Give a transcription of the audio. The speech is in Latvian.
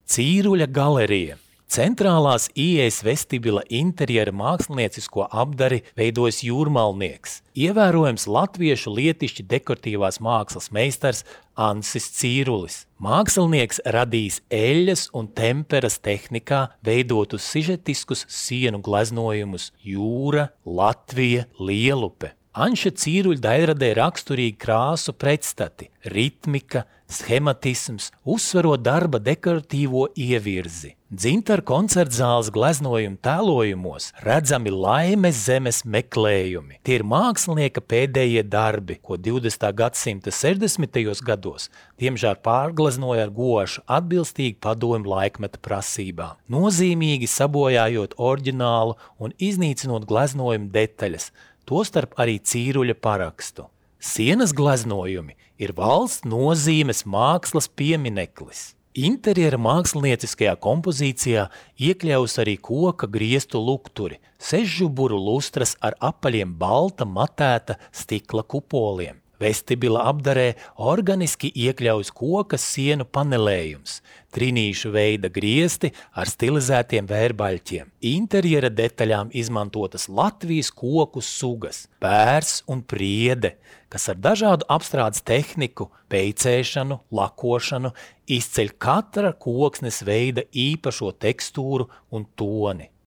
Cīruļa galerija. Centrālās ieejas vestibila interjera māksliniecisko apdari veidojas jūrmalnieks, ievērojams latviešu lietišķi dekoratīvās mākslas meistars Ansis Cīrulis. Mākslinieks radījis eļļas un temperas tehnikā veidotus sižetiskus sienu gleznojumus Jūra, Latvija, Lielupe. Anša Cīruļa daļradē raksturīgi krāsu pretstati, ritmika, schematisms, uzsverot darba dekoratīvo ievirzi. Dzintara koncertzāles gleznojumu tēlojumos redzami laimes zemes meklējumi. Tie ir mākslinieka pēdējie darbi, ko 20. gadsimta 60. gados diemžēl pārgleznoja ar gošu atbilstīgi padomju laikmeta prasībām, nozīmīgi sabojājot oriģinālu un iznīcinot gleznojumu detaļas, tostarp arī Cīruļa parakstu. Sienas gleznojumi ir valsts nozīmes mākslas piemineklis. Interjera mākslinieciskajā kompozīcijā iekļaus arī koka griestu lukturi, sešžuburu lustras ar apaļiem balta matēta stikla kupoliem. Vestibila apdarē organiski iekļaujas koka sienu panelējums, trinīšu veida griesti ar stilizētiem vērbaļķiem. Interjera detaļām izmantotas Latvijas koku sugas, pērs un priede, kas ar dažādu apstrādes tehniku, peicēšanu, lakošanu izceļ katra koksnes veida īpašo tekstūru un toni.